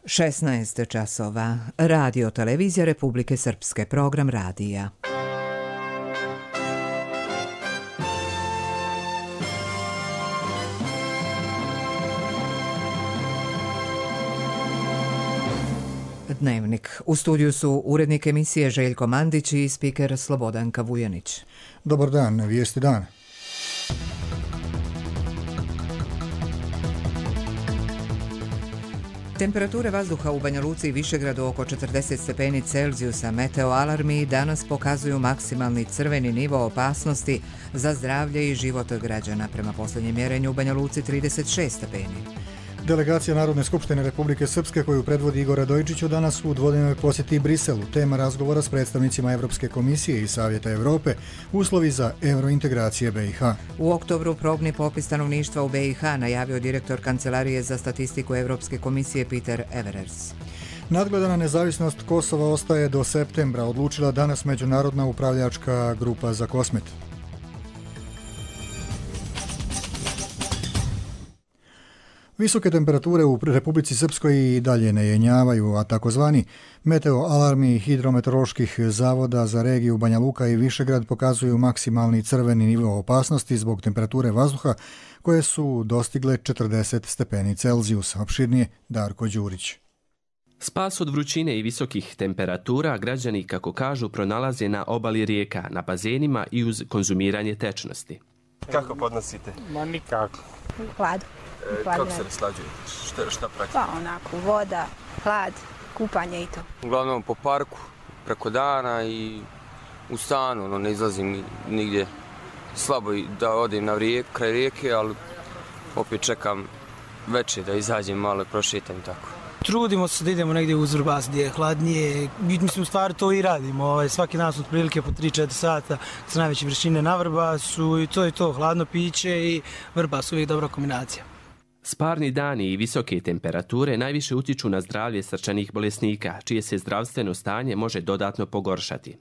16 časova. Radio Televizija Republike Srpske. Program radija. Dnevnik. U studiju su urednik emisije Željko Mandić i spiker Slobodanka Vujanić. Dobar dan, vijesti dana. Temperature vazduha u Banja Luci i Višegradu oko 40 stepeni Celzijusa. Meteo alarmi danas pokazuju maksimalni crveni nivo opasnosti za zdravlje i život građana. Prema posljednjem mjerenju u Banja Luci 36 stepeni. Delegacija Narodne skupštine Republike Srpske koju predvodi Igor Radojičić danas u dvodnevnoj posjeti Briselu. Tema razgovora s predstavnicima Evropske komisije i Savjeta Europe, uslovi za eurointegracije BiH. U oktobru probni popis stanovništva u BiH najavio direktor Kancelarije za statistiku Evropske komisije Peter Everers. Nadgledana nezavisnost Kosova ostaje do septembra, odlučila danas Međunarodna upravljačka grupa za Kosmet. Visoke temperature u Republici Srpskoj i dalje ne jenjavaju, a takozvani meteo alarmi hidrometeoroloških zavoda za regiju Banja Luka i Višegrad pokazuju maksimalni crveni nivo opasnosti zbog temperature vazduha koje su dostigle 40 stepeni Celzijusa. Opširnije Darko Đurić. Spas od vrućine i visokih temperatura građani, kako kažu, pronalaze na obali rijeka, na bazenima i uz konzumiranje tečnosti. Kako podnosite? Ma nikako. Hlad. Kako se raslađujete? Šta pratite? Pa onako, voda, hlad, kupanje i to. Uglavnom po parku, preko dana i u stanu, ne izlazim nigdje. Slabo da odem na kraj rijeke, ali opet čekam večer da izađem malo i prošetam tako. Trudimo se da idemo negdje uz Vrbas gdje je hladnije. Mislim, u stvari to i radimo. Svaki dan su otprilike po 3-4 sata s najveće vrućine na Vrbasu i to je to. Hladno piće i Vrbas uvijek dobra kombinacija. Sparni dani i visoke temperature najviše utiču na zdravlje srčanih bolesnika, čije se zdravstveno stanje može dodatno pogoršati.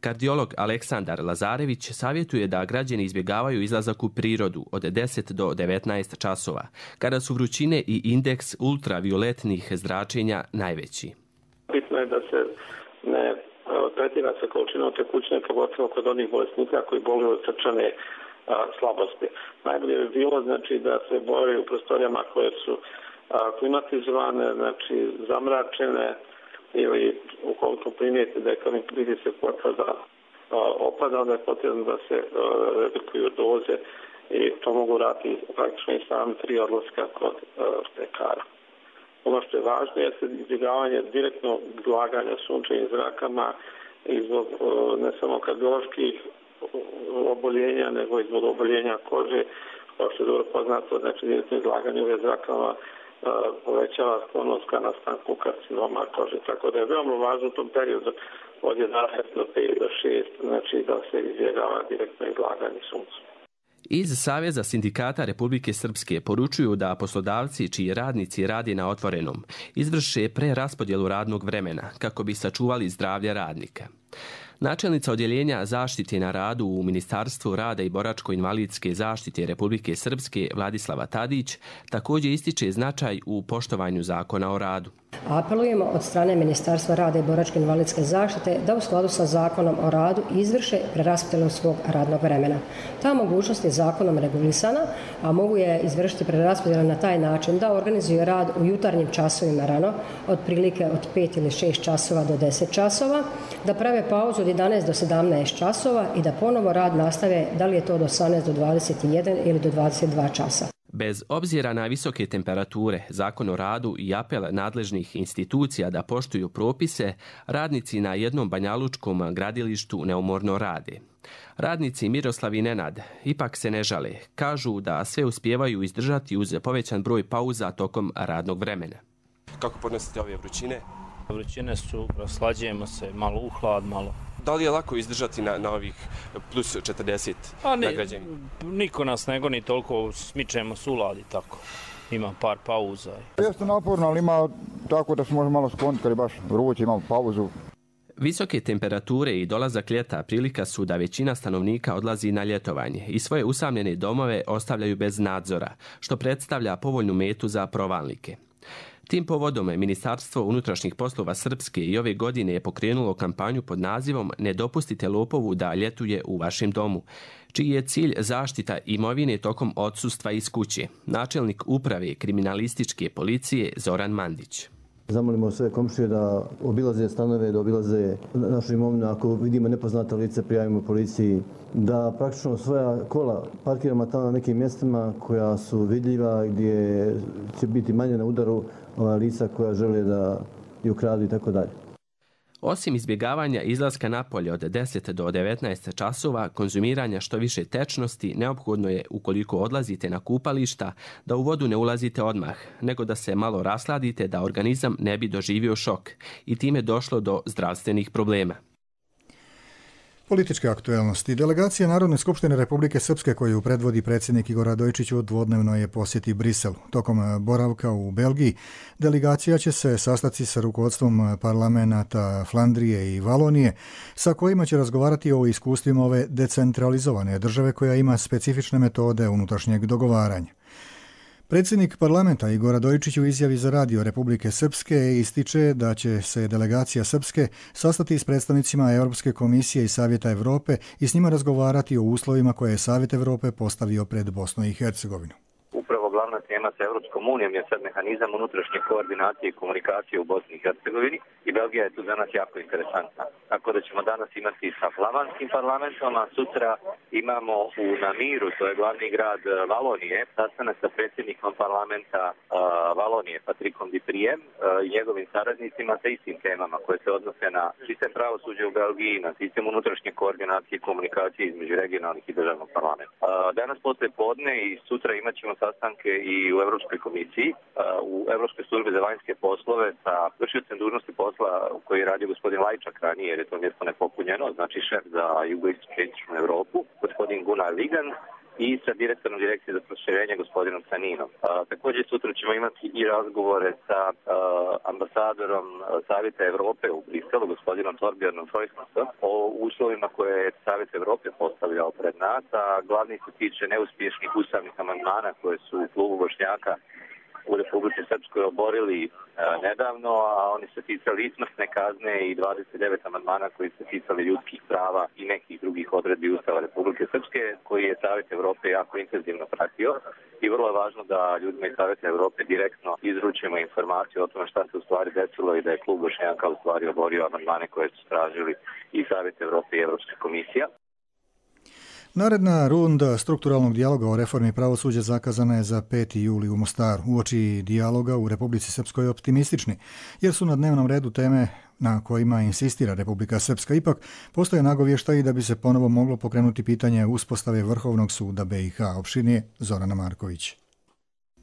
Kardiolog Aleksandar Lazarević savjetuje da građani izbjegavaju izlazak u prirodu od 10 do 19 časova, kada su vrućine i indeks ultravioletnih zračenja najveći. Bitno je da se ne tretira sa količinom tekućine, pogotovo kod onih bolesnika koji boluju od srčane slabosti. Najbolje bi bilo da se bore u prostorijama koje su klimatizovane, zamračene, ili ukoliko primijete da je krvni pritisak opada, onda je potrebno da se redukuju doze i to mogu raditi praktično i sami 3 odlaska kod lekara. Ono što je važno je izbjegavanje direktnog izlaganja sunčevim zrakama i zbog ne samo kardioloških oboljenja, nego i zbog oboljenja kože, kao što je dobro poznato, direktno izlaganje UV zrakama povećava sklonost ka nastanku karcinoma kože. Tako da je veoma važno u tom periodu od 11 do 5 do 6, da se izbjegava direktno izlaganje suncu. Iz Saveza sindikata Republike Srpske poručuju da poslodavci čiji radnici radi na otvorenom izvrše preraspodjelu radnog vremena kako bi sačuvali zdravlje radnika. Načelnica odjeljenja zaštite na radu u Ministarstvu rada i boračko-invalidske zaštite Republike Srpske Vladislava Tadić također ističe značaj u poštovanju zakona o radu. Apelujemo od strane Ministarstva rada i boračko-invalidske zaštite da u skladu sa zakonom o radu izvrše preraspodjelu svog radnog vremena. Ta mogućnost je zakonom regulisana, a mogu je izvršiti preraspodjelu na taj način da organizuju rad u jutarnjim časovima rano, otprilike od 5 ili 6 časova do 10 časova, da prave pauzu od 11 do 17 časova i da ponovo rad nastave, da li je to od 18 do 21 ili do 22 časa. Bez obzira na visoke temperature, zakon o radu i apel nadležnih institucija da poštuju propise, radnici na jednom banjalučkom gradilištu neumorno rade. Radnici Miroslav i Nenad ipak se ne žale. Kažu da sve uspijevaju izdržati uz povećan broj pauza tokom radnog vremena. Kako podnosite ove vrućine? Vrućine su, raslađujemo se, malo u hlad, malo. Da li je lako izdržati na ovih plus 40 na građani? Niko nas ne goni toliko, smičemo suladi tako. Ima par pauza. Jeste naporno, ali ima tako da se može malo skloniti kad je baš vruće, imamo pauzu. Visoke temperature i dolazak ljeta prilika su da većina stanovnika odlazi na ljetovanje i svoje usamljene domove ostavljaju bez nadzora, što predstavlja povoljnu metu za provalnike. Tim povodom Ministarstvo unutrašnjih poslova Srpske i ove godine je pokrenulo kampanju pod nazivom Ne dopustite lopovu da ljetuje u vašem domu, čiji je cilj zaštita imovine tokom odsustva iz kuće. Načelnik uprave kriminalističke policije Zoran Mandić. Zamolimo sve komšije da obilaze stanove, da obilaze našu imovinu. Ako vidimo nepoznata lice, prijavimo policiji. Da praktično svoja kola parkiramo tamo na nekim mjestima koja su vidljiva, gdje će biti manje na udaru lica koja žele da ju ukradu i tako dalje. Osim izbjegavanja izlaska napolje od 10 do 19 časova, konzumiranja što više tečnosti, neophodno je, ukoliko odlazite na kupališta, da u vodu ne ulazite odmah, nego da se malo rasladite da organizam ne bi doživio šok i time došlo do zdravstvenih problema. Političke aktuelnosti. Delegacija Narodne skupštine Republike Srpske koju predvodi predsjednik Igor Radojičić dvodnevno je posjeti Brisel. Tokom boravka u Belgiji delegacija će se sastati sa rukovodstvom parlamenata Flandrije i Valonije, sa kojima će razgovarati o iskustvima ove decentralizovane države koja ima specifične metode unutrašnjeg dogovaranja. Predsjednik parlamenta Igor Radojičić u izjavi za radio Republike Srpske ističe da će se delegacija Srpske sastati s predstavnicima Europske komisije i Savjeta Europe i s njima razgovarati o uslovima koje je Savjet Europe postavio pred Bosnu i Hercegovinu. Upravo glavna tema sa Europskom unijom je sad mehanizam unutrašnje koordinacije i komunikacije u Bosni i Hercegovini i Belgija je tu za nas jako interesantna. Tako da ćemo danas imati sa flamandskim parlamentom, a sutra imamo u Namiru, to je glavni grad Valonije, sastanak sa predsjednikom parlamenta Valonije, Patrikom Diprijem i njegovim saradnicima sa istim temama koje se odnose na sistem pravosuđa u Belgiji, na sistem unutrašnje koordinacije i komunikacije između regionalnih i državnog parlamenta. Danas posle podne i sutra imat ćemo sastanke i u Europskoj komisiji, u Europskoj službi za vanjske poslove sa vršiocem dužnosti posla koji je radio gospodin Lajčak ranije, jer je to mjesto nepopunjeno, znači šef za jugoistočnu Europu, gospodin Gunnar Ligan, i sa direktorom direkcije za proširenje gospodinom Saninom. Također sutra ćemo imati i razgovore sa ambasadorom Savjeta Europe u Briselu, gospodinom Torbjörnom Frojsmasom, o uslovima koje je Savjet Europe postavljao pred nas, a glavni se tiče neuspješnih ustavnih amandmana koje su u klubu Bošnjaka u Republici Srpskoj oborili nedavno, a oni se ticali i smrtne kazne i 29 amandmana koji se ticali ljudskih prava i nekih drugih odredbi Ustava Republike Srpske, koji je Savjet Europe jako intenzivno pratio i vrlo je važno da ljudima iz Savjeta Europe direktno izručimo informaciju o tome šta se u stvari desilo i da je klub Bošnjaka u stvari oborio amandmane koje su tražili i Savjet Europe i Europska komisija. Naredna runda strukturalnog dijaloga o reformi pravosuđa zakazana je za 5. juli u Mostaru. Uoči dijaloga u Republici Srpskoj optimistični, jer su na dnevnom redu teme na kojima insistira Republika Srpska. Ipak postoje nagovještaji da bi se ponovo moglo pokrenuti pitanje uspostave Vrhovnog suda BiH. Opširnije Zorana Marković.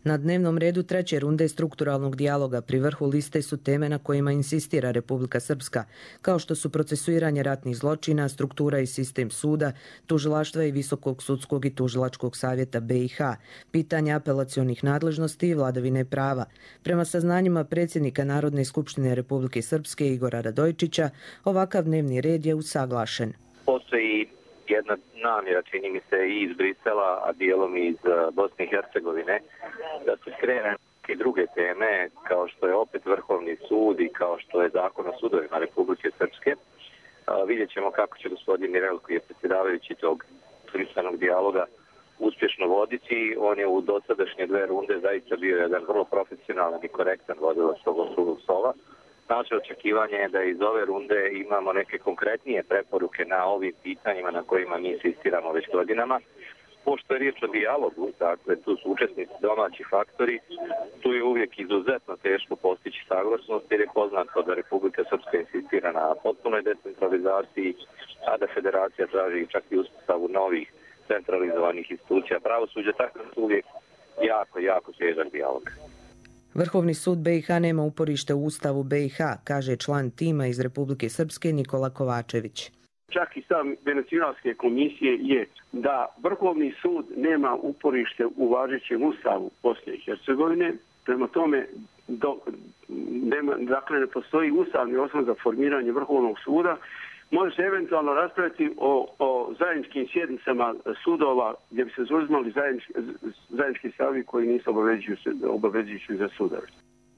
Na dnevnom redu treće runde strukturalnog dijaloga pri vrhu liste su teme na kojima insistira Republika Srpska, kao što su procesuiranje ratnih zločina, struktura i sistem suda, tužilaštva i Visokog sudskog i tužilačkog savjeta BiH, pitanja apelacionih nadležnosti i vladavine prava. Prema saznanjima predsjednika Narodne skupštine Republike Srpske Igora Radojičića, ovakav dnevni red je usaglašen. Postoji jedna namjera, čini mi se, i iz Brisela, a dijelom i iz Bosne i Hercegovine, da se skrene i druge teme, kao što je opet Vrhovni sud i kao što je Zakon o sudovima Republike Srpske. Vidjet ćemo kako će gospodin Mirel, koji je predsjedavajući tog tristranog dijaloga, uspješno voditi. On je u dosadašnje 2 runde zaista bio jedan vrlo profesionalan i korektan vodilac tog okruglog stola. Naše očekivanje je da iz ove runde imamo neke konkretnije preporuke na ovim pitanjima na kojima mi insistiramo već godinama. Pošto je riječ o dijalogu, dakle tu su učesnici domaći faktori, tu je uvijek izuzetno teško postići saglasnost jer je poznato da Republika Srpska insistira na potpunoj decentralizaciji, a da federacija traži čak i uspostavu novih centralizovanih institucija pravosuđa, tako da su uvijek jako težak dijalog. Vrhovni sud BiH nema uporište u Ustavu BiH, kaže član tima iz Republike Srpske Nikola Kovačević. Čak i sam Venecijanske komisije je da Vrhovni sud nema uporište u važećem Ustavu Bosne i Hercegovine, prema tome dakle ne postoji ustavni osnov za formiranje Vrhovnog suda. Može se eventualno raspraviti o zajedničkim sjednicama sudova gdje bi se zauzimali zajednički stavovi koji nisu obavezujući za sudove.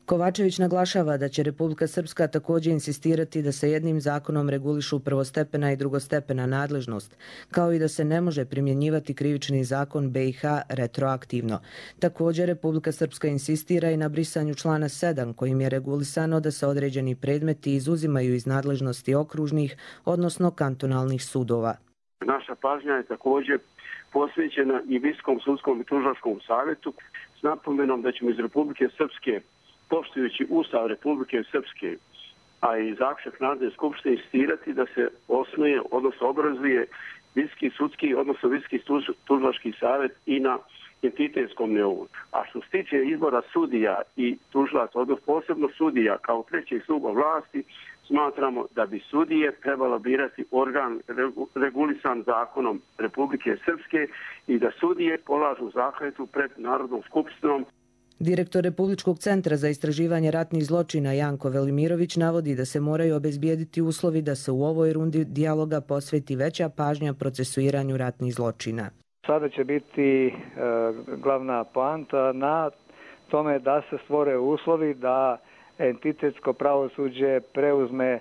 Kovačević naglašava da će Republika Srpska također insistirati da se jednim zakonom regulišu prvostepena i drugostepena nadležnost, kao i da se ne može primjenjivati krivični zakon BiH retroaktivno. Također Republika Srpska insistira i na brisanju člana 7 kojim je regulisano da se određeni predmeti izuzimaju iz nadležnosti okružnih, odnosno kantonalnih sudova. Naša pažnja je također posvećena i Visokom sudskom i tužilačkom savjetu s napomenom da ćemo iz Republike Srpske, poštujući Ustav Republike Srpske, a i zaključak Narodne skupštine, insistirati da se osnuje, odnosno obrazuje Visoki sudski, odnosno Visoki tužilački savjet i na entitetskom nivou. A što se tiče izbora sudija i tužilaca, odnosno posebno sudija kao trećeg stupa vlasti, smatramo da bi sudije trebalo birati organ regulisan zakonom Republike Srpske i da sudije polažu zakletvu pred Narodnom skupštinom. Direktor Republičkog centra za istraživanje ratnih zločina Janko Velimirović navodi da se moraju obezbijediti uslovi da se u ovoj rundi dijaloga posveti veća pažnja procesuiranju ratnih zločina. Sada će biti glavna poanta na tome da se stvore uslovi da entitetsko pravosuđe preuzme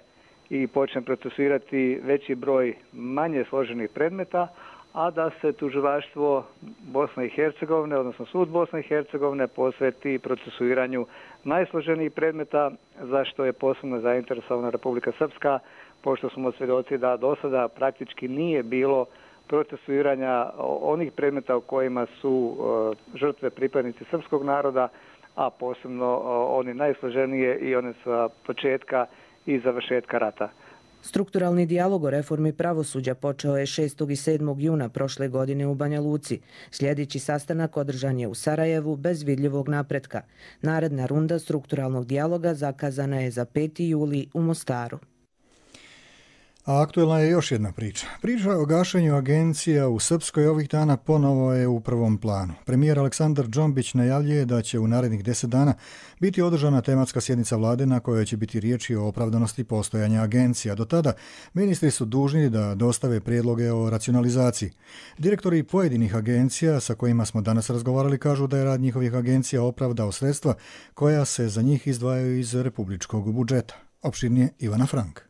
i počne procesuirati veći broj manje složenih predmeta, a da se tužilaštvo Bosne i Hercegovine, odnosno sud Bosne i Hercegovine, posveti procesuiranju najsloženijih predmeta, za što je posebno zainteresovana Republika Srpska, pošto smo svjedoci da do sada praktički nije bilo procesuiranja onih predmeta u kojima su žrtve pripadnici srpskog naroda, a posebno oni najsloženije i one sa početka i završetka rata. Strukturalni dijalog o reformi pravosuđa počeo je 6. i 7. juna prošle godine u Banja Luci. Sljedeći sastanak održan je u Sarajevu bez vidljivog napretka. Naredna runda strukturalnog dijaloga zakazana je za 5. juli u Mostaru. A aktuelna je još jedna priča. Priča o gašenju agencija u Srpskoj ovih dana ponovo je u prvom planu. Premijer Aleksandar Džombić najavljuje da će u narednih 10 dana biti održana tematska sjednica vlade na kojoj će biti riječi o opravdanosti postojanja agencija. Do tada ministri su dužni da dostave prijedloge o racionalizaciji. Direktori pojedinih agencija sa kojima smo danas razgovarali kažu da je rad njihovih agencija opravdao sredstva koja se za njih izdvajaju iz republičkog budžeta. Opširnije Ivana Frank.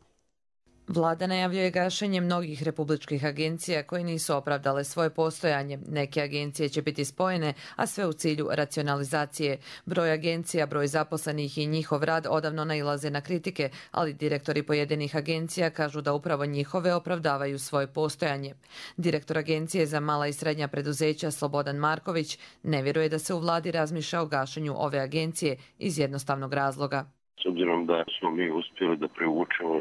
Vlada najavljuje gašenje mnogih republičkih agencija koje nisu opravdale svoje postojanje. Neke agencije će biti spojene, a sve u cilju racionalizacije. Broj agencija, broj zaposlenih i njihov rad odavno nailaze na kritike, ali direktori pojedinih agencija kažu da upravo njihove opravdavaju svoje postojanje. Direktor Agencije za mala i srednja preduzeća Slobodan Marković ne vjeruje da se u vladi razmišlja o gašenju ove agencije iz jednostavnog razloga. S obzirom da smo mi uspjeli da privučemo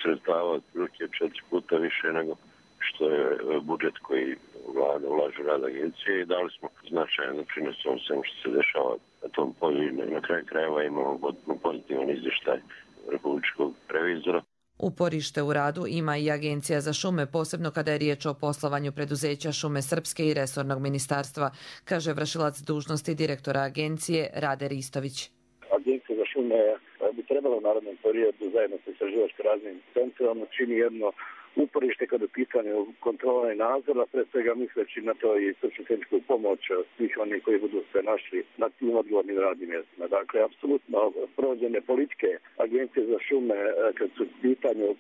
sredstava otprilike 4 puta više nego što je budžet koji vlada ulaže u rad agencije i dali smo značajan doprinos ovom svemu što se dešava na tom polju i na kraju krajeva imamo pozitivan izvještaj republičkog revizora. Uporište u radu ima i Agencija za šume, posebno kada je riječ o poslovanju preduzeća Šume Srpske i resornog ministarstva, kaže vršilac dužnosti direktora agencije Rade Ristović. Agencija za šume bi trebala u narodnom periodu zajedno sa istraživačko-razvojnim centrom čini jedno uporište kada je pitanje kontrola i nadzora, pre svega misleći na to i stručno-tehničku pomoć svih onih koji budu se našli na tim odgovornim radnim mjestima. Dakle, apsolutno provođene politike Agencije za šume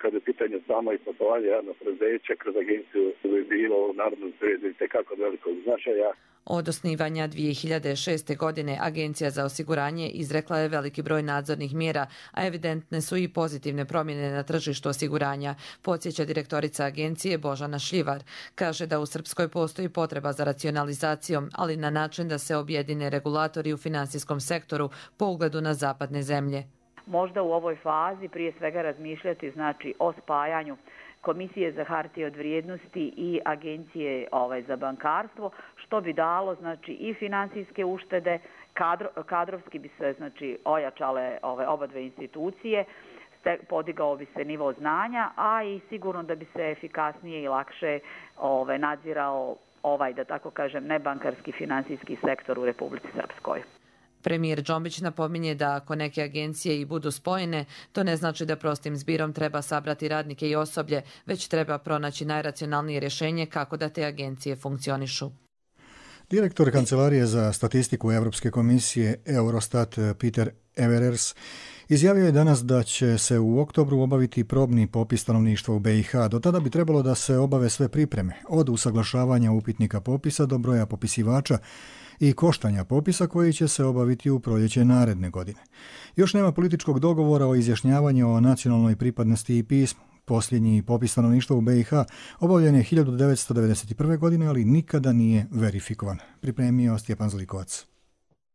kad je pitanje samo i poslovanje javnog preduzeća kroz agenciju bi bilo u narodnom periodu i tekako velikog značaja. Od osnivanja 2006. godine Agencija za osiguranje izrekla je veliki broj nadzornih mjera, a evidentne su i pozitivne promjene na tržištu osiguranja, podsjeća direktorica agencije Božana Šljivar. Kaže da u Srpskoj postoji potreba za racionalizacijom, ali na način da se objedine regulatori u finansijskom sektoru po ugledu na zapadne zemlje. Možda u ovoj fazi prije svega razmišljati o spajanju Komisije za hartije od vrijednosti i Agencije za bankarstvo, što bi dalo i finansijske uštede, kadrovski bi se ojačale oba dve institucije, podigao bi se nivo znanja, a i sigurno da bi se efikasnije i lakše nadzirao da tako kažem, nebankarski finansijski sektor u Republici Srpskoj. Premijer Džombić napominje da ako neke agencije i budu spojene, to ne znači da prostim zbirom treba sabrati radnike i osoblje, već treba pronaći najracionalnije rješenje kako da te agencije funkcionišu. Direktor Kancelarije za statistiku Europske komisije Eurostat Peter Everers, izjavio je danas da će se u oktobru obaviti probni popis stanovništva u BiH. Do tada bi trebalo da se obave sve pripreme, od usaglašavanja upitnika popisa do broja popisivača i koštanja popisa koji će se obaviti u proljeće naredne godine. Još nema političkog dogovora o izjašnjavanju o nacionalnoj pripadnosti i pismu. Posljednji popis stanovništva u BiH obavljen je 1991. godine, ali nikada nije verifikovan. Pripremio Stjepan Zlikovac.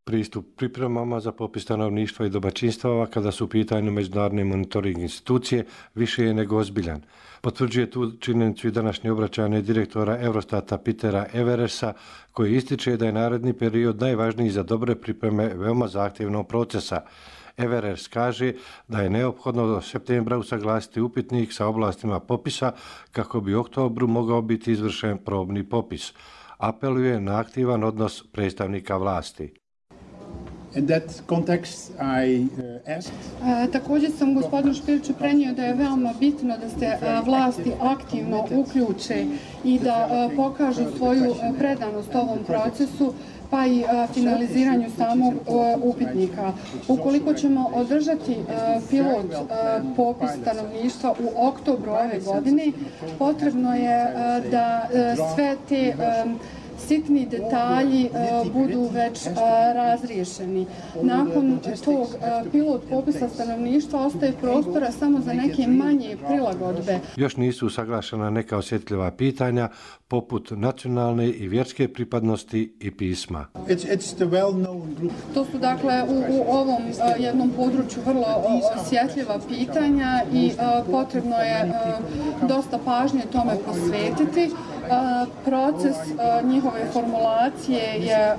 Pristup pripremama za popis stanovništva i domaćinstava kada su u pitanju međunarodne monitoring institucije više je nego ozbiljan. Potvrđuje tu činjenicu i današnje obraćanje direktora Eurostata Petera Eversa, koji ističe da je naredni period najvažniji za dobre pripreme veoma zahtjevnog procesa. Everers kaže da je neophodno do septembra usaglasiti upitnik sa oblastima popisa kako bi u oktobru mogao biti izvršen probni popis. Apeluje na aktivan odnos predstavnika vlasti. Također sam gospodinu Špiriću prenio da je veoma bitno da se vlasti aktivno uključe i da pokažu svoju predanost ovom procesu, pa i finaliziranju samog upitnika. Ukoliko ćemo održati pilot popis stanovništva u oktobru ove godine, potrebno je da sve te sitni detalji budu već razriješeni. Nakon tog pilot popisa stanovništva ostaje prostora samo za neke manje prilagodbe. Još nisu usaglašena neka osjetljiva pitanja poput nacionalne i vjerske pripadnosti i pisma. To su dakle u ovom jednom području vrlo osjetljiva pitanja i potrebno je dosta pažnje tome posvetiti. Proces njihove formulacije je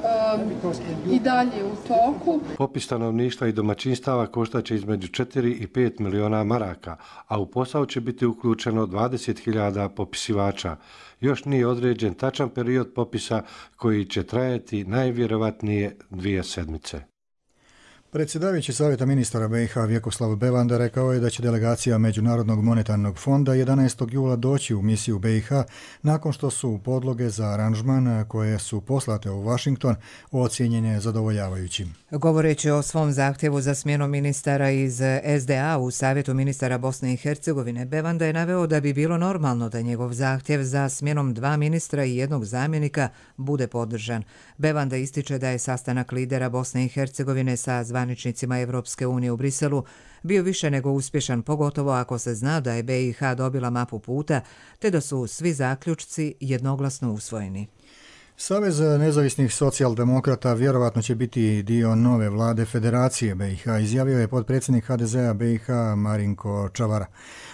i dalje u toku. Popis stanovništva i domaćinstava koštaće između 4 i 5 miliona maraka, a u posao će biti uključeno 20.000 popisivača. Još nije određen tačan period popisa koji će trajati najvjerovatnije 2 sedmice. Predsjedavajući Savjeta ministara BiH Vjekoslav Bevanda rekao je da će delegacija Međunarodnog monetarnog fonda 11. jula doći u misiju BiH nakon što su podloge za aranžman koje su poslate u Washington ocijenjene zadovoljavajućim. Govoreći o svom zahtjevu za smjenom ministara iz SDA u Savjetu ministara Bosne i Hercegovine, Bevanda je naveo da bi bilo normalno da njegov zahtjev za smjenom 2 ministra i 1 zamjenika bude podržan. Bevanda ističe da je sastanak lidera Bosne i Hercegovine sa zvaničnicima Evropske unije u Briselu bio više nego uspješan, pogotovo ako se zna da je BiH dobila mapu puta, te da su svi zaključci jednoglasno usvojeni. Savez nezavisnih socijaldemokrata vjerovatno će biti dio nove vlade Federacije BiH, izjavio je potpredsjednik HDZ-a BiH Marinko Čavara.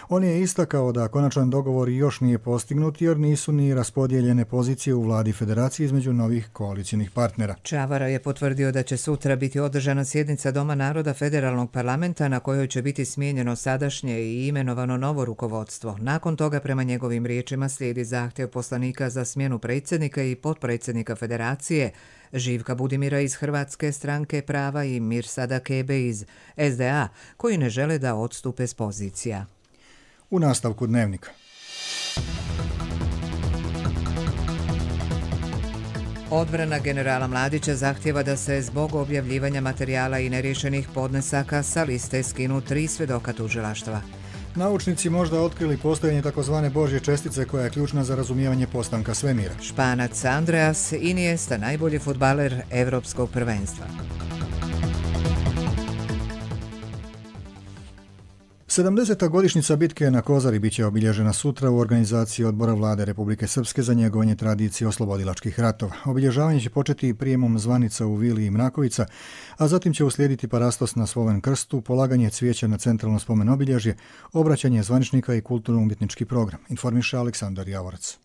On je istakao da konačan dogovor još nije postignut jer nisu ni raspodijeljene pozicije u vladi Federacije između novih koalicijnih partnera. Čavara je potvrdio da će sutra biti održana sjednica Doma naroda Federalnog parlamenta na kojoj će biti smijenjeno sadašnje i imenovano novo rukovodstvo. Nakon toga, prema njegovim riječima, slijedi zahtjev poslanika za smjenu predsjednika i potpredsjednika Federacije, Živka Budimira iz Hrvatske stranke prava i Mirsada Kebe iz SDA, koji ne žele da odstupe s pozicija. U nastavku dnevnika. Odbrana generala Mladića zahtjeva da se zbog objavljivanja materijala i neriješenih podnesaka sa liste skinu 3 svjedoka tužilaštva. Naučnici možda otkrili postojanje takozvane Božje čestice koja je ključna za razumijevanje postanka svemira. Španac Andreas Iniesta, najbolji fudbaler Evropskog prvenstva. 70. godišnjica bitke na Kozari biće obilježena sutra u organizaciji Odbora vlade Republike Srpske za njegovanje tradicije oslobodilačkih ratova. Obilježavanje će početi prijemom zvanica u Vili i Mrakovica, a zatim će uslijediti parastos na Sloven krstu, polaganje cvijeća na centralno spomen obilježje, obraćanje zvaničnika i kulturno-umjetnički program, informiše Aleksandar Javorac.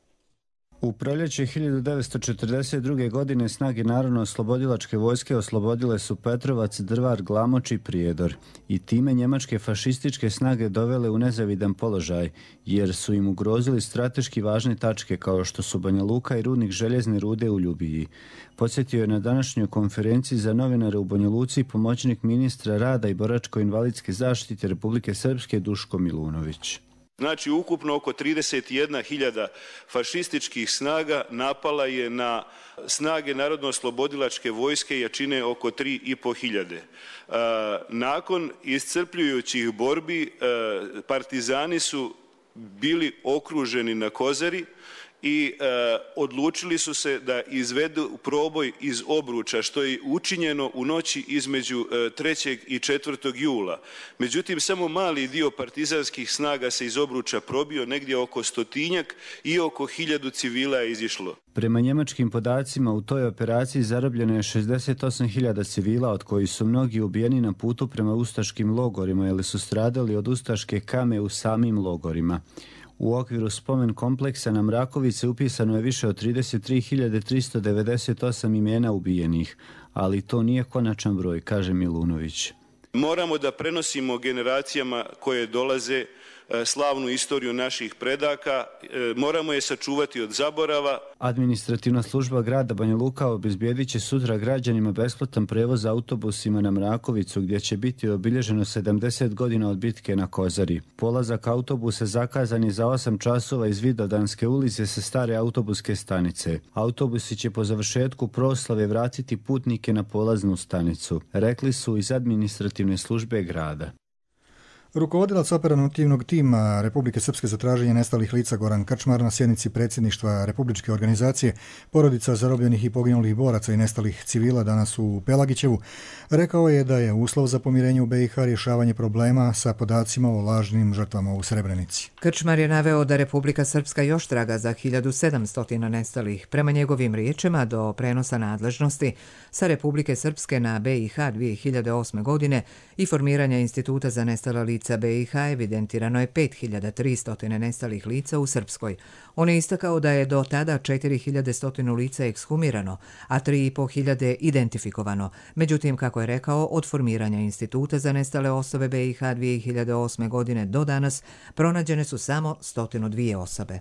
U proljeće 1942. godine snage Narodno-oslobodilačke vojske oslobodile su Petrovac, Drvar, Glamoč i Prijedor i time njemačke fašističke snage dovele u nezavidan položaj jer su im ugrozili strateški važne tačke kao što su Banja Luka i rudnik željezne rude u Ljubiji. Podsjetio je na današnjoj konferenciji za novinare u Banja Luci pomoćnik ministra rada i boračko-invalidske zaštite Republike Srpske Duško Milunović. Znači, ukupno oko 31.000 fašističkih snaga napala je na snage Narodno-oslobodilačke vojske jačine oko 3.500. Nakon iscrpljujućih borbi partizani su bili okruženi na Kozari i odlučili su se da izvedu proboj iz obruča, što je učinjeno u noći između 3. i 4. jula. Međutim, samo mali dio partizanskih snaga se iz obruča probio, negdje oko 100-tinjak i oko 1000 civila je izišlo. Prema njemačkim podacima u toj operaciji zarobljeno je 68.000 civila, od kojih su mnogi ubijeni na putu prema ustaškim logorima ili su stradali od ustaške kame u samim logorima. U okviru spomen kompleksa na Mrakovici upisano je više od 33.398 imena ubijenih, ali to nije konačan broj, kaže Milunović. Moramo da prenosimo generacijama koje dolaze slavnu istoriju naših predaka, moramo je sačuvati od zaborava. Administrativna služba grada Banja Luka obezbijedit će sutra građanima besplatan prevoz autobusima na Mrakovicu, gdje će biti obilježeno 70 godina od bitke na Kozari. Polazak autobusa zakazan je za 8 časova iz Vidovdanske ulice sa stare autobuske stanice. Autobusi će po završetku proslave vratiti putnike na polaznu stanicu, rekli su iz administrativne službe grada. Rukovodilac operativnog tima Republike Srpske za traženje nestalih lica Goran Krčmar na sjednici predsjedništva Republičke organizacije porodica zarobljenih i poginulih boraca i nestalih civila danas u Pelagićevu rekao je da je uslov za pomirenje u BiH rješavanje problema sa podacima o lažnim žrtvama u Srebrenici. Krčmar je naveo da Republika Srpska još traga za 1700 nestalih. Prema njegovim riječima, do prenosa nadležnosti sa Republike Srpske na BiH 2008. godine i formiranja Instituta za nestala lica BiH evidentirano je 5300 nestalih lica u Srpskoj. On je istakao da je do tada 4100 lica ekshumirano, a 3500 identifikovano. Međutim, kako je rekao, od formiranja Instituta za nestale osobe BiH 2008. godine do danas pronađene su samo 102 osobe.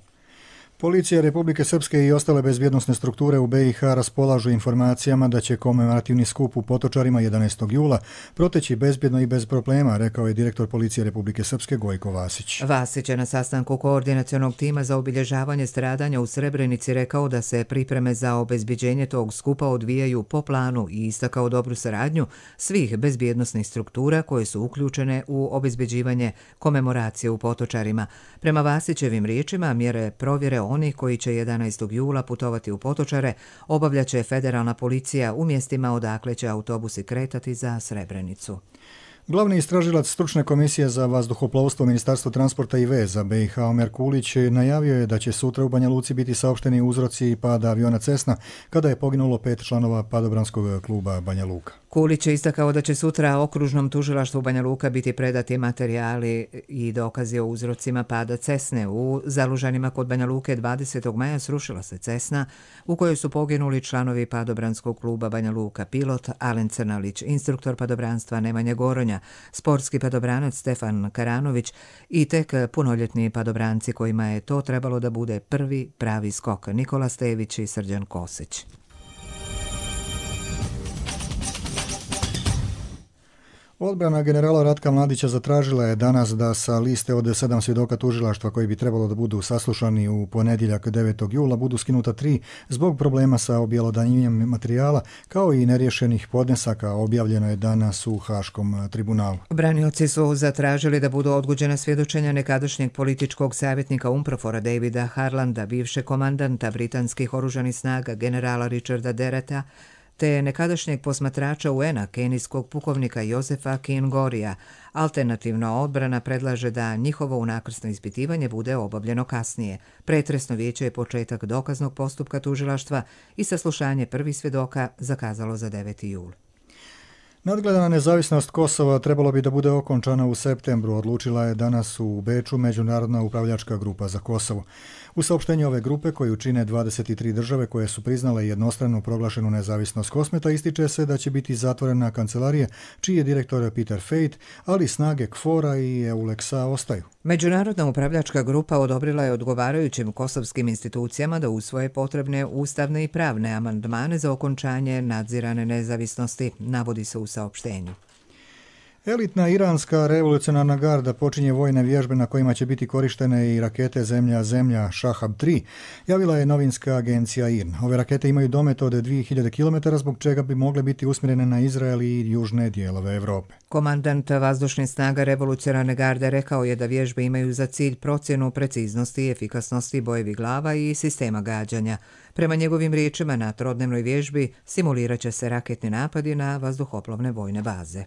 Policija Republike Srpske i ostale bezbjednosne strukture u BiH raspolažu informacijama da će komemorativni skup u Potočarima 11. jula proteći bezbjedno i bez problema, rekao je direktor Policije Republike Srpske Gojko Vasić. Vasić je na sastanku koordinacionog tima za obilježavanje stradanja u Srebrenici rekao da se pripreme za obezbjeđenje tog skupa odvijaju po planu i istakao dobru saradnju svih bezbjednosnih struktura koje su uključene u obezbjeđivanje komemoracije u Potočarima. Prema Vasićevim riječima, mjere provjere oni koji će 11. jula putovati u Potočare obavljaće federalna policija u mjestima odakle će autobusi kretati za Srebrenicu. Glavni istražilac stručne komisije za vazduhoplovstvo Ministarstva transporta i veza BiH Omer Kulić najavio je da će sutra u Banja Luci biti saopšteni uzroci pada aviona Cessna kada je poginulo 5 članova padobranskog kluba Banja Luka. Kulić je istakao da će sutra okružnom tužilaštvu Banja Luka biti predati materijali i dokazi o uzrocima pada Cessne. U Zalužanima kod Banja Luke 20. maja srušila se Cessna u kojoj su poginuli članovi padobranskog kluba Banja Luka, pilot Alen Crnalić, instruktor padobranstva Nemanja Goronja, sportski padobranac Stefan Karanović i tek punoljetni padobranci kojima je to trebalo da bude prvi pravi skok, Nikola Stević i Srđan Kosić. Odbrana generala Ratka Mladića zatražila je danas da sa liste od 7 svjedoka tužilaštva koji bi trebalo da budu saslušani u ponedjeljak 9. jula budu skinuta 3 zbog problema sa objelodanjenjem materijala kao i neriješenih podnesaka, objavljeno je danas u Haškom tribunalu. Branioci su zatražili da budu odgođena svjedočenja nekadašnjeg političkog savjetnika UNPROFOR-a Davida Harlanda, bivšeg komandanta britanskih oružanih snaga generala Richarda Dereta, te nekadašnjeg posmatrača UN-a, kenijskog pukovnika Josefa Kingorija. Alternativna odbrana predlaže da njihovo unakrsno ispitivanje bude obavljeno kasnije. Pretresno vijeće je početak dokaznog postupka tužilaštva i saslušanje prvih svjedoka zakazalo za 9. jul. Nadgledana nezavisnost Kosova trebalo bi da bude okončana u septembru, odlučila je danas u Beču Međunarodna upravljačka grupa za Kosovo. U saopštenju ove grupe, koju čine 23 države koje su priznale jednostrano proglašenu nezavisnost Kosmeta, ističe se da će biti zatvorena kancelarija, čiji je direktor Peter Fejt, ali snage KFOR-a i EULEX-a ostaju. Međunarodna upravljačka grupa odobrila je odgovarajućim kosovskim institucijama da usvoje potrebne ustavne i pravne amandmane za okončanje nadzirane nezavisnosti, navodi se u saopštenju. Elitna iranska revolucionarna garda počinje vojne vježbe na kojima će biti korištene i rakete Zemlja Shahab-3, javila je novinska agencija IRN. Ove rakete imaju domet od 2000 km, zbog čega bi mogle biti usmjerene na Izrael i južne dijelove Europe. Komandant vazdušnih snaga revolucionarne garde rekao je da vježbe imaju za cilj procjenu preciznosti i efikasnosti bojevih glava i sistema gađanja. Prema njegovim riječima, na trodnevnoj vježbi simulirat će se raketni napadi na vazduhoplovne vojne baze.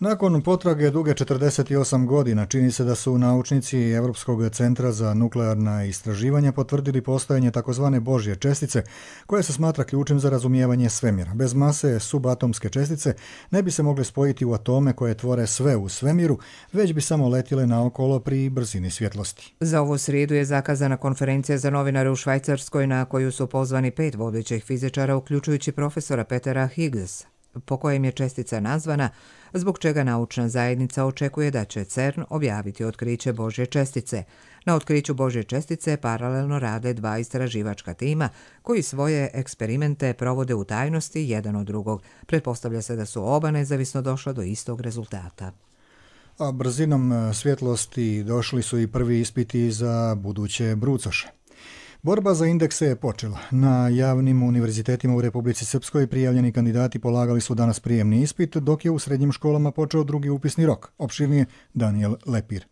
Nakon potrage duge 48 godina, čini se da su naučnici Europskog centra za nuklearna istraživanja potvrdili postojanje takozvane Božje čestice, koja se smatra ključem za razumijevanje svemira. Bez mase subatomske čestice ne bi se mogle spojiti u atome koje tvore sve u svemiru, već bi samo letile naokolo pri brzini svjetlosti. Za ovu srijedu je zakazana konferencija za novinare u Švajcarskoj na koju su pozvani 5 vodećih fizičara, uključujući profesora Petera Higgsa, po kojem je čestica nazvana, zbog čega naučna zajednica očekuje da će CERN objaviti otkriće Božje čestice. Na otkriću Božje čestice paralelno rade 2 istraživačka tima koji svoje eksperimente provode u tajnosti jedan od drugog. Pretpostavlja se da su oba nezavisno došla do istog rezultata. A brzinom svjetlosti došli su i prvi ispiti za buduće brucoše. Borba za indekse je počela. Na javnim univerzitetima u Republici Srpskoj prijavljeni kandidati polagali su danas prijemni ispit, dok je u srednjim školama počeo drugi upisni rok. Opširnije Daniel Lepir.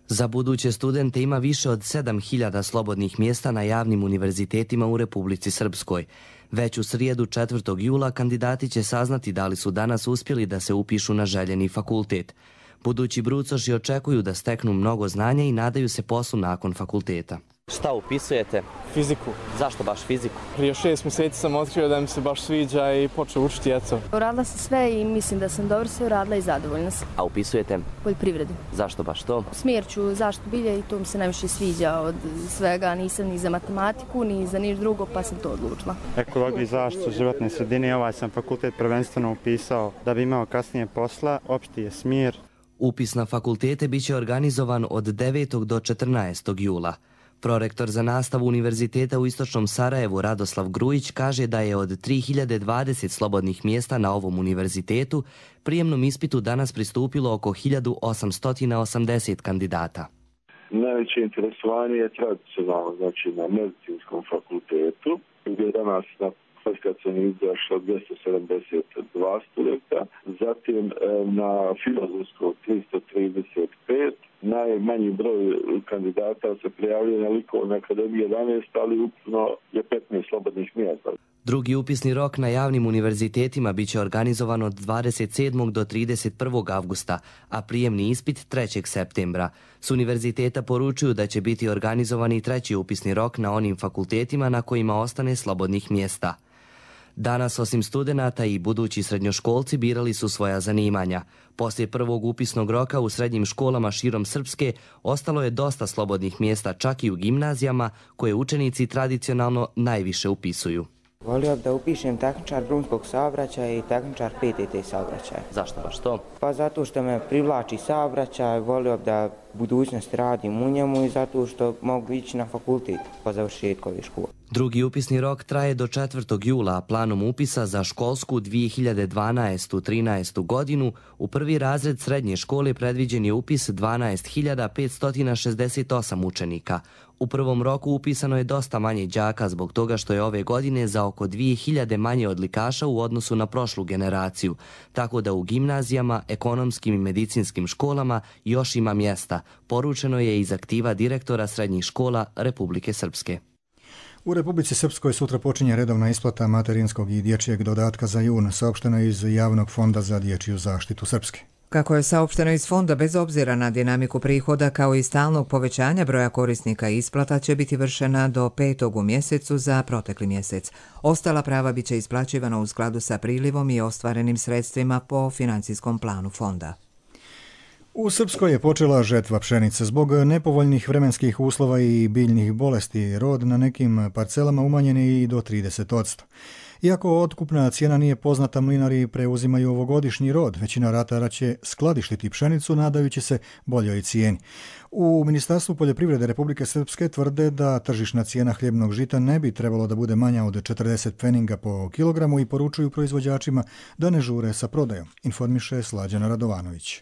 Za buduće studente ima više od 7000 slobodnih mjesta na javnim univerzitetima u Republici Srpskoj. Već u srijedu 4. jula kandidati će saznati da li su danas uspjeli da se upišu na željeni fakultet. Budući brucoši očekuju da steknu mnogo znanja i nadaju se poslu nakon fakulteta. Šta upisujete? Fiziku. Zašto baš fiziku? Prije 6 mjeseci sam otkrio da mi se baš sviđa i počeo učiti, eto. Uradila sam sve i mislim da sam dobro sve uradila i zadovoljna sam. A upisujete? Poljoprivredu. Zašto baš to? Smjer ću zaštitu bilja i to mi se najviše sviđa od svega. Nisam ni za matematiku, ni za niš drugo, pa sam to odlučila. Ekologiju i zaštitu životne sredine, ovaj sam fakultet prvenstveno upisao da bi imao kasnije posla, opšti je smjer. Upis na fakultete biće organizovan od 9. do 14. jula. Prorektor za nastavu Univerziteta u Istočnom Sarajevu Radoslav Grujić kaže da je od 3020 slobodnih mjesta na ovom univerzitetu prijemnom ispitu danas pristupilo oko 1880 kandidata. Najveće interesovanje je tradicionalno, znači na medicinskom fakultetu, gdje je danas na kvalifikacijom izašlo 272 studenta, zatim na filozofskom 335, najmanji broj kandidata se prijavljaju na likovnoj akademiji 11, ali ukupno je 15 slobodnih mjesta. Drugi upisni rok na javnim univerzitetima biće organizovan od 27. do 31. avgusta, a prijemni ispit 3. septembra. S univerziteta poručuju da će biti organizovan i treći upisni rok na onim fakultetima na kojima ostane slobodnih mjesta. Danas, osim studenata i budući srednjoškolci, birali su svoja zanimanja. Poslije prvog upisnog roka u srednjim školama širom Srpske ostalo je dosta slobodnih mjesta, čak i u gimnazijama, koje učenici tradicionalno najviše upisuju. Volio bi da upišem tehničar drumskog saobraćaja i tehničar PTT saobraćaja. Zašto baš to? Pa zato što me privlači saobraćaj, volio bi da budućnost radim u njemu i zato što mogu ići na fakultet po završetku ove škole. Drugi upisni rok traje do 4. jula, a planom upisa za školsku 2012-13. godinu u prvi razred srednje škole predviđen je upis 12.568 učenika. U prvom roku upisano je dosta manje đaka zbog toga što je ove godine za oko 2000 manje odlikaša u odnosu na prošlu generaciju, tako da u gimnazijama, ekonomskim i medicinskim školama još ima mjesta, poručeno je iz aktiva direktora srednjih škola Republike Srpske. U Republici Srpskoj sutra počinje redovna isplata materinskog i dječjeg dodatka za jun, saopšteno iz Javnog fonda za dječju zaštitu Srpske. Kako je saopšteno iz fonda, bez obzira na dinamiku prihoda kao i stalnog povećanja broja korisnika, isplata će biti vršena do 5. u mjesecu za protekli mjesec. Ostala prava biće isplaćivana u skladu sa prilivom i ostvarenim sredstvima po financijskom planu fonda. U Srpskoj je počela žetva pšenice. Zbog nepovoljnih vremenskih uslova i biljnih bolesti rod na nekim parcelama umanjen je i do 30%. Iako otkupna cijena nije poznata, mlinari preuzimaju ovogodišnji rod. Većina ratara će skladištiti pšenicu nadajući se boljoj cijeni. U Ministarstvu poljoprivrede Republike Srpske tvrde da tržišna cijena hljebnog žita ne bi trebalo da bude manja od 40 pfeninga po kilogramu i poručuju proizvođačima da ne žure sa prodajom, informiše Slađana Radovanović.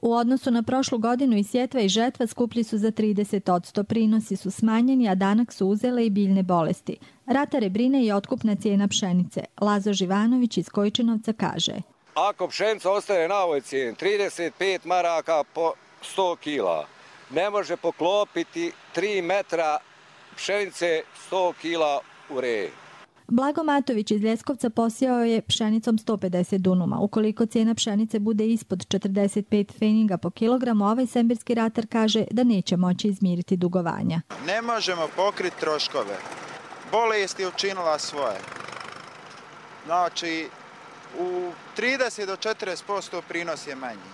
U odnosu na prošlu godinu i sjetva i žetva skuplji su za 30%, prinosi su smanjeni, a danak su uzele i biljne bolesti. Ratare brine i otkupna cijena pšenice. Lazo Živanović iz Kojčinovca kaže: Ako pšenica ostane na ovoj cijeni, 35 maraka po 100 kila, ne može poklopiti 3 metra pšenice 100 kila u reji. Blago Matović iz Ljeskovca posijao je pšenicom 150 dunuma. Ukoliko cijena pšenice bude ispod 45 pfeninga po kilogramu, ovaj sembirski ratar kaže da neće moći izmiriti dugovanja. Ne možemo pokriti troškove. Bolest je učinila svoje. Znači, u 30 do 40% prinos je manji.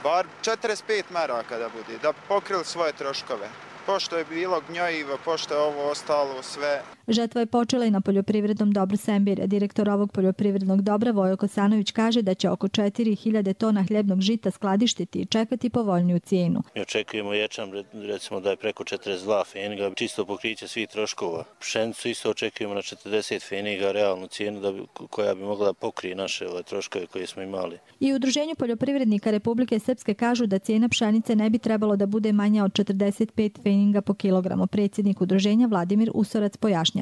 Bar 45 maraka da bude, da pokrili svoje troškove. Pošto je bilo gnjojivo, pošto je ovo ostalo sve. Žetva je počela i na poljoprivrednom dobru Sembire. Direktor ovog poljoprivrednog dobra Vojo Kosanović kaže da će oko 4000 tona hljebnog žita skladištiti i čekati povoljniju cijenu. Mi očekujemo ječam, recimo da je preko 42 pfeniga, čisto pokriće svih troškova. Pšenicu isto očekujemo na 40 pfeniga, realnu cijenu koja bi mogla pokriti naše troškove koje smo imali. I u Udruženju poljoprivrednika Republike Srpske kažu da cijena pšenice ne bi trebalo da bude manja od 45 pfeninga po kilogramu. Predsjednik udruženja Vladimir Usorac pojašnjava.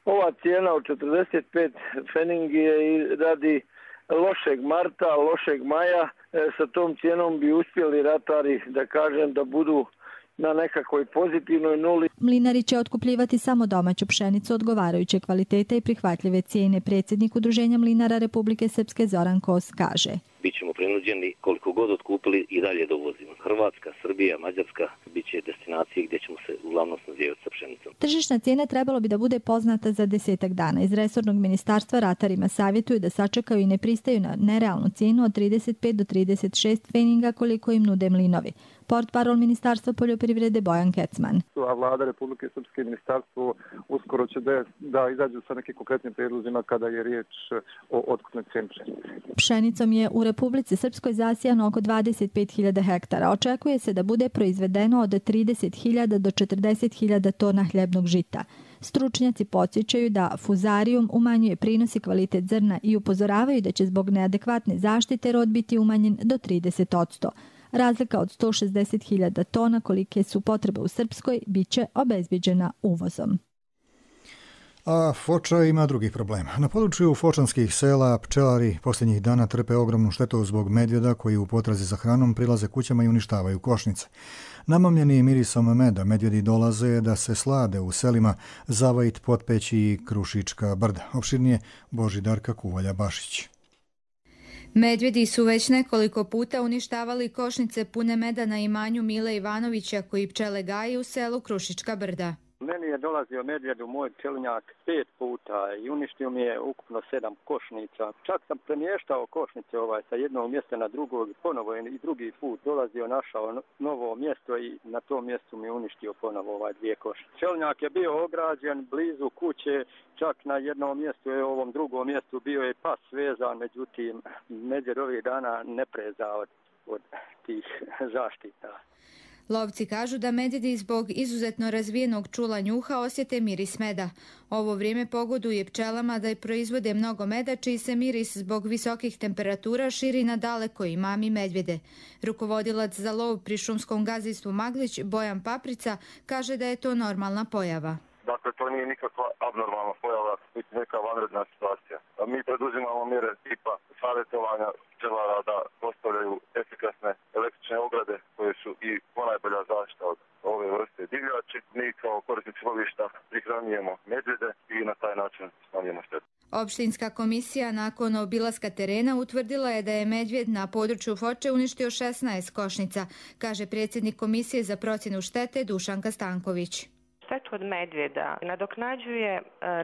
Ova cijena od 45 pfeningi je radi lošeg marta, lošeg maja. Sa tom cijenom bi uspjeli ratari, da kažem, da budu na nekakvoj pozitivnoj nuli. Mlinari će otkupljivati samo domaću pšenicu odgovarajuće kvalitete i prihvatljive cijene. Predsjednik Udruženja mlinara Republike Srpske Zoran Kos kaže: Bićemo prinuđeni koliko god otkupili i dalje dovozimo. Hrvatska, Srbija, Mađarska bit će destinacije gdje ćemo se uglavnom snabdijevati sa pšenicom. Tržišna cijena trebalo bi da bude poznata za 10 dana. Iz resornog ministarstva ratarima savjetuju da sačekaju i ne pristaju na nerealnu cijenu od 35 do 36 pfeninga koliko im nude mlinovi. Portparol Ministarstva poljoprivrede Bojan Kecman. A Vlada Republike Srpske i ministarstvo uskoro će da izađu sa nekim konkretnim prijedlozima kada je riječ o otkupnoj cijeni pšenice. Pšenicom je u Republici Srpskoj zasijano oko 25.000 hektara. Očekuje se da bude proizvedeno od 30.000 do 40.000 tona hljebnog žita. Stručnjaci podsjećaju da fuzarium umanjuje prinos i kvalitet zrna i upozoravaju da će zbog neadekvatne zaštite rod biti umanjen do 30%. Razlika od 160.000 tona kolike su potrebe u Srpskoj bit će obezbijeđena uvozom. A Foča ima drugih problema. Na području fočanskih sela pčelari posljednjih dana trpe ogromnu štetu zbog medvjeda koji u potrazi za hranom prilaze kućama i uništavaju košnice. Namamljeni mirisom meda, medvjedi dolaze da se slade u selima Zavajt, Potpeć i Krušička brda. Opširnije Božidarka Kuvalja-Bašić. Medvjedi su već nekoliko puta uništavali košnice pune meda na imanju Mile Ivanovića koji pčele gaji u selu Krušička brda. Meni je dolazio medvjed u moj pčelinjak 5 puta i uništio mi je ukupno 7 košnica. Čak sam premještao košnice sa jednog mjesta na drugog, ponovo je i drugi put dolazio, našao novo mjesto i na tom mjestu mi je uništio ponovo 2 košnice. Pčelinjak je bio ograđen blizu kuće, čak na jednom mjestu i ovom drugom mjestu bio je pas vezan, međutim medvjed ovih dana ne preza od tih zaštita. Lovci kažu da medvjedi zbog izuzetno razvijenog čula njuha osjete miris meda. Ovo vrijeme pogoduje pčelama da proizvode mnogo meda, čiji se miris zbog visokih temperatura širi na daleko i mami medvjede. Rukovodilac za lov pri šumskom gazdinstvu Maglić, Bojan Paprica, kaže da je to normalna pojava. Dakle, to nije nikakva abnormalna pojava, niti neka vanredna situacija. Mi preduzimamo mjere tipa savjetovanja pčelara da postavljaju efikasne električne ograde koje su i ponajbolja zaštita od ove vrste divljači. Mi kao korisnici lovišta prihranjujemo medvjede i na taj način smanjujemo štetu. Opštinska komisija nakon obilaska terena utvrdila je da je medvjed na području Foče uništio 16 košnica, kaže predsjednik komisije za procjenu štete Dušanka Stanković. štetu od medvjeda nadoknađuje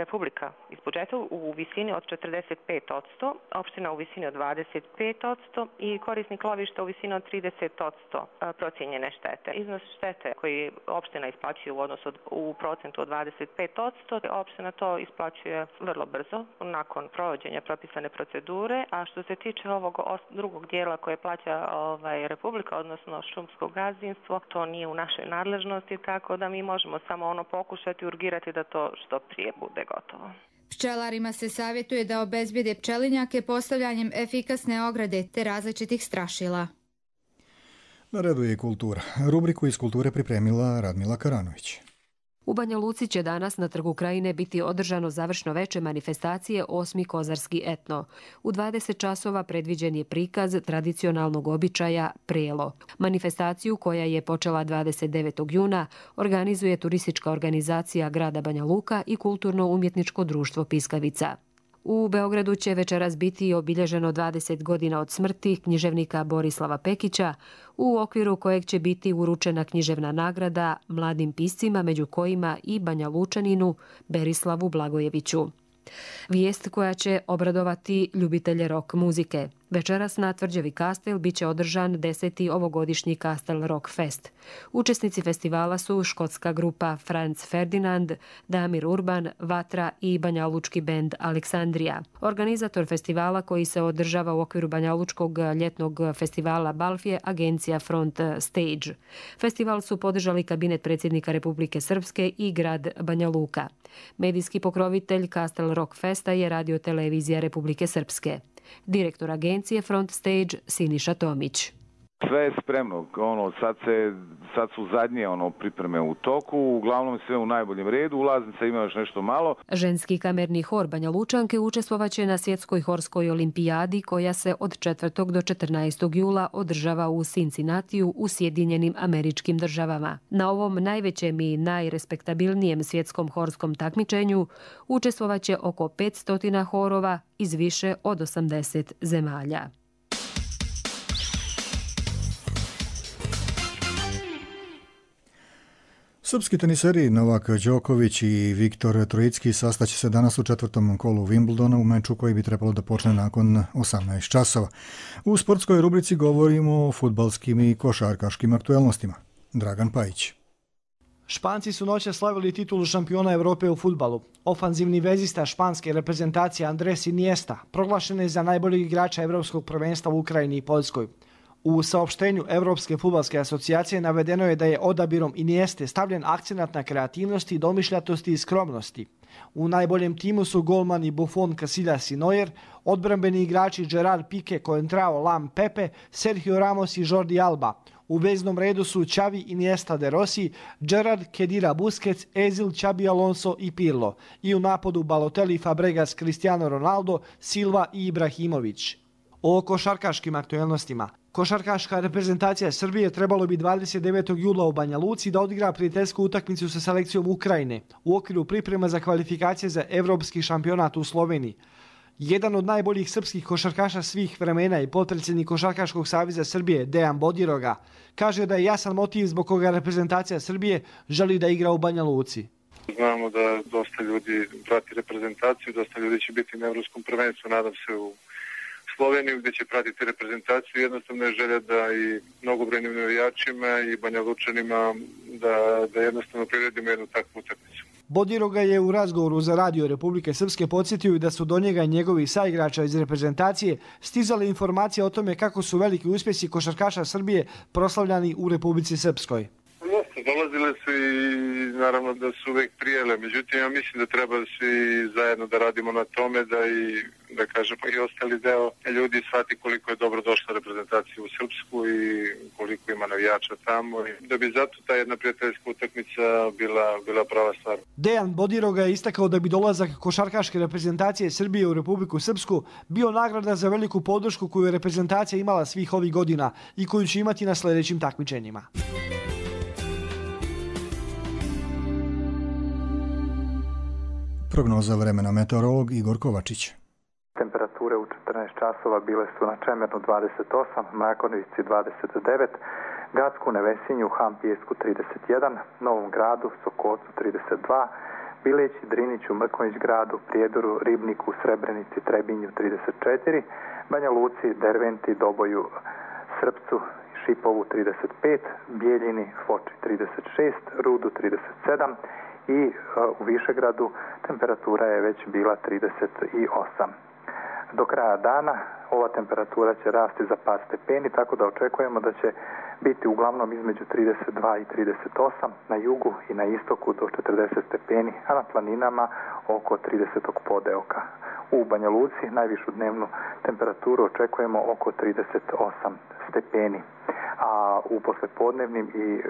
Republika iz budžeta u visini od 45%, opština u visini od 25% i korisnik lovišta u visini od 30% procijenjene štete. Iznos štete koji opština isplaćuje u procentu od 25%, opština to isplaćuje vrlo brzo, nakon provođenja propisane procedure, a što se tiče ovog drugog dijela koje plaća Republika, odnosno šumsko gazdinstvo, to nije u našoj nadležnosti, tako da mi možemo samo pokušati urgirati da to što prije bude gotovo. Pčelarima se savjetuje da obezbijede pčelinjake postavljanjem efikasne ograde te različitih strašila. Na redu je i kultura. Rubriku iz kulture pripremila Radmila Karanović. U Banja Luci će danas na Trgu Krajine biti održano završno veče manifestacije 8. kozarski etno. U 20 časova predviđen je prikaz tradicionalnog običaja prelo. Manifestaciju koja je počela 29. juna organizuje turistička organizacija grada Banja Luka i kulturno-umjetničko društvo Piskavica. U Beogradu će večeras biti obilježeno 20 godina od smrti književnika Borislava Pekića, u okviru kojeg će biti uručena književna nagrada mladim piscima, među kojima i Banja Lučaninu Berislavu Blagojeviću. Vijest koja će obradovati ljubitelje rock muzike. Večeras na Tvrđavi Kastel biće održan 10. ovogodišnji Kastel Rock Fest. Učesnici festivala su škotska grupa Franz Ferdinand, Damir Urban, Vatra i banjalučki bend Aleksandrija. Organizator festivala koji se održava u okviru banjalučkog ljetnog festivala Balf je agencija Front Stage. Festival su podržali kabinet predsjednika Republike Srpske i grad Banja Luka. Medijski pokrovitelj Kastel Rock Festa je Radio-televizija Republike Srpske. Direktor agencije Front Stage Siniša Tomić. Sve je spremno, sad su zadnje pripreme u toku, uglavnom sve u najboljem redu, ulaznica ima još nešto malo. Ženski kamerni hor Banja Lučanke učestvovaće na svjetskoj horskoj olimpijadi koja se od 4. do 14. jula održava u Cincinnatiju u Sjedinjenim Američkim Državama. Na ovom najvećem i najrespektabilnijem svjetskom horskom takmičenju učestvovaće oko 500 horova iz više od 80 zemalja. Srpski teniseri Novak Đoković i Viktor Trojicki sastaće se danas u 4. kolu Wimbledona u meču koji bi trebalo da počne nakon 18 časova. U sportskoj rubrici govorimo o fudbalskim i košarkaškim aktuelnostima. Dragan Pajić. Španci su noćas slavili titulu šampiona Evrope u fudbalu. Ofanzivni vezista španske reprezentacije Andres Iniesta proglašen je za najboljeg igrača Evropskog prvenstva u Ukrajini i Poljskoj. U saopštenju Evropske fudbalske asocijacije navedeno je da je odabirom Inieste stavljen akcenat na kreativnosti, domišljatosti i skromnosti. U najboljem timu su golmani Buffon, Casillas i Neuer, odbrambeni igrači Gerard Pique, Coentrao, Lam, Pepe, Sergio Ramos i Jordi Alba. U veznom redu su Xavi, Iniesta, De Rossi, Gerard, Kedira, Busquets, Ezil, Xabi Alonso i Pirlo. I u napadu Balotelli, Fabregas, Cristiano Ronaldo, Silva i Ibrahimović. O košarkaškim aktuelnostima. Košarkaška reprezentacija Srbije trebalo bi 29. jula u Banja Luci da odigra prijateljsku utakmicu sa selekcijom Ukrajine u okviru priprema za kvalifikacije za evropski šampionat u Sloveniji. Jedan od najboljih srpskih košarkaša svih vremena i potpredsjednik Košarkaškog saveza Srbije Dejan Bodiroga kaže da je jasan motiv zbog koga reprezentacija Srbije želi da igra u Banja Luci. Znamo da dosta ljudi prati reprezentaciju, dosta ljudi će biti na evropskom prvenstvu, nadam se u Sloveniju gdje će pratiti reprezentaciju. Jednostavno je želja da i mnogobrojnim navijačima i Banja Lučanima da jednostavno priredimo jednu takvu utakmicu. Bodiroga je u razgovoru za Radio Republike Srpske podsjetio da su do njega i njegovih saigrača iz reprezentacije stizale informacije o tome kako su veliki uspjesi košarkaša Srbije proslavljani u Republici Srpskoj. Dolazile su i naravno da su uvijek prijele, međutim ja mislim da treba svi zajedno da radimo na tome da kažemo i ostali deo ljudi shvati koliko je dobro došla reprezentacija u Srpsku i koliko ima navijača tamo i da bi zato ta jedna prijateljska utakmica bila prava stvar. Dejan Bodiroga je istakao da bi dolazak košarkaške reprezentacije Srbije u Republiku Srpsku bio nagrada za veliku podršku koju je reprezentacija imala svih ovih godina i koju će imati na sljedećim takmičenjima. Prognoza vremena, meteorolog Igor Kovačić. Temperature u 14 časova bile su na Čemernu 28, Mrakonovici 29, Gradsku, Nevesinju, Han Pijesku 31, Novom Gradu, Sokocu 32, Bileći, Driniću, Mrkonjić Gradu, Prijedoru, Ribniku, Srebrenici, Trebinju 34, Banja Luci, Derventi, Doboju, Srpcu, Šipovu 35, Bijeljini, Foči 36, Rudu 37 i u Višegradu temperatura je već bila 38. Do kraja dana ova temperatura će rasti za par stepeni, tako da očekujemo da će biti uglavnom između 32 i 38, na jugu i na istoku do 40 stepeni, a na planinama oko 30. podeoka. U Banja Luci najvišu dnevnu temperaturu očekujemo oko 38 stepeni, a u poslepodnevnim i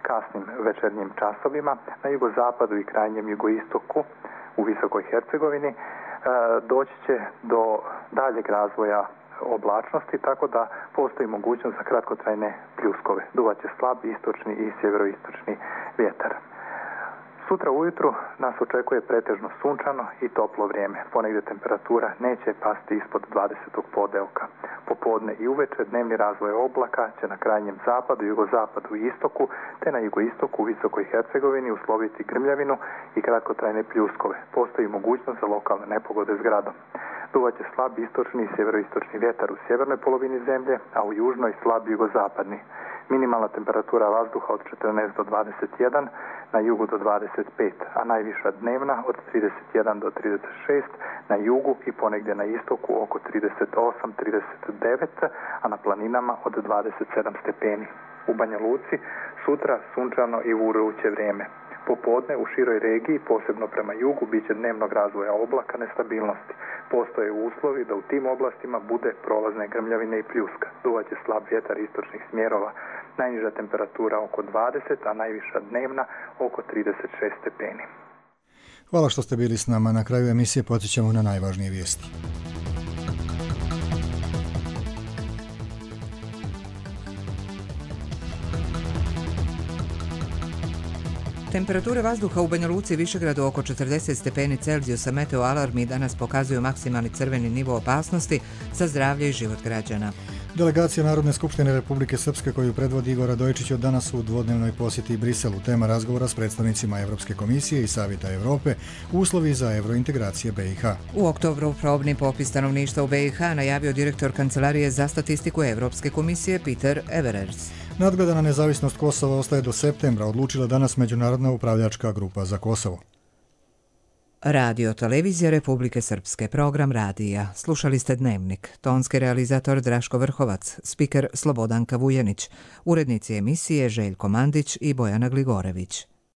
kasnim večernjim časovima na jugozapadu i krajnjem jugoistoku u Visokoj Hercegovini doći će do daljeg razvoja oblačnosti, tako da postoji mogućnost za kratkotrajne pljuskove. Duvaće slab istočni i sjeveroistočni vjetar. Sutra ujutru nas očekuje pretežno sunčano i toplo vrijeme. Ponegdje temperatura neće pasti ispod 20. podeoka. Popodne i uveče dnevni razvoj oblaka će na krajnjem zapadu, jugozapadu i istoku, te na jugoistoku u Visokoj Hercegovini usloviti grmljavinu i kratkotrajne pljuskove. Postoji mogućnost za lokalne nepogode s gradom. Duvaće slab istočni i sjeveroistočni vjetar u sjevernoj polovini zemlje, a u južnoj slab jugozapadni. Minimalna temperatura vazduha od 14 do 21, na jugu do 25, a najviša dnevna od 31 do 36, na jugu i ponegdje na istoku oko 38-39, a na planinama od 27 stepeni. U Banja Luci sutra sunčano i vurujuće vrijeme. Popodne u široj regiji, posebno prema jugu, bit će dnevnog razvoja oblaka nestabilnosti. Postoje uslovi da u tim oblastima bude prolazne grmljavine i pljuska. Duvaće slab vjetar istočnih smjerova. Najniža temperatura oko 20, a najviša dnevna oko 36 stepeni. Hvala što ste bili s nama. Na kraju emisije podsjećamo na najvažnije vijesti. Temperature vazduha u Banja Luci i Višegradu oko 40 stepeni Celzijusa. Meteo alarmi danas pokazuju maksimalni crveni nivo opasnosti za zdravlje i život građana. Delegacija Narodne skupštine Republike Srpske koju predvodi Igor Radojičić od danas u dvodnevnoj posjeti Briselu. Tema razgovora s predstavnicima Europske komisije i Savjeta Europe, uslovi za eurointegracije BiH. U oktobru probni popis stanovništva u BiH najavio direktor Kancelarije za statistiku Europske komisije Peter Everers. Nadgledana nezavisnost Kosova ostaje do septembra, odlučila danas Međunarodna upravljačka grupa za Kosovo. Radio Televizija Republike Srpske, program radija. Slušali ste Dnevnik. Tonski realizator Draško Vrhovac, spiker Slobodanka Vujanić, urednici emisije Željko Mandić i Bojana Gligorević.